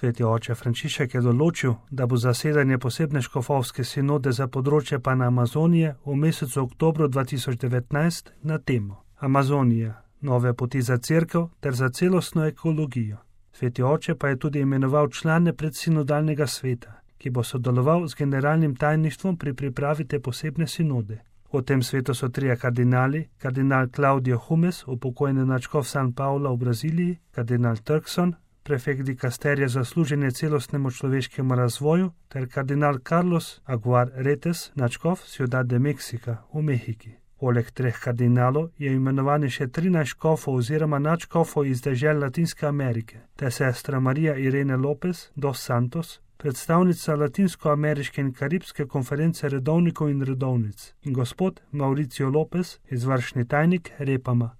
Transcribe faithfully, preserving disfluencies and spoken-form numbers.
Sveti oče Frančišek je določil, da bo zasedanje posebne škofovske sinode za področje Panamazonije v mesecu oktobru dva tisoč devetnajst na temo Amazonija, nove poti za cerkev ter za celostno ekologijo. Sveti oče pa je tudi imenoval člane predsinodalnega sveta, ki bo sodeloval z generalnim tajništvom pri pripravi te posebne sinode. V tem svetu so trije kardinali, kardinal Claudio Humes, upokojeni nadškof San Paula v Braziliji, kardinal Turkson, prefekt dikasterija za služenje celostnemu človeškemu razvoju, ter kardinal Carlos Aguiar Retes, nadškof Ciudad de Mexica v Mehiki. Poleg treh kardinalov je imenovani še trinajst škofov oziroma nadškofov iz dežel Latinske Amerike, ter sestra Marija Irene Lopez dos Santos, predstavnica Latinsko-ameriške in karibske konference redovnikov in redovnic, in gospod Mauricio Lopez, izvršni tajnik Repama.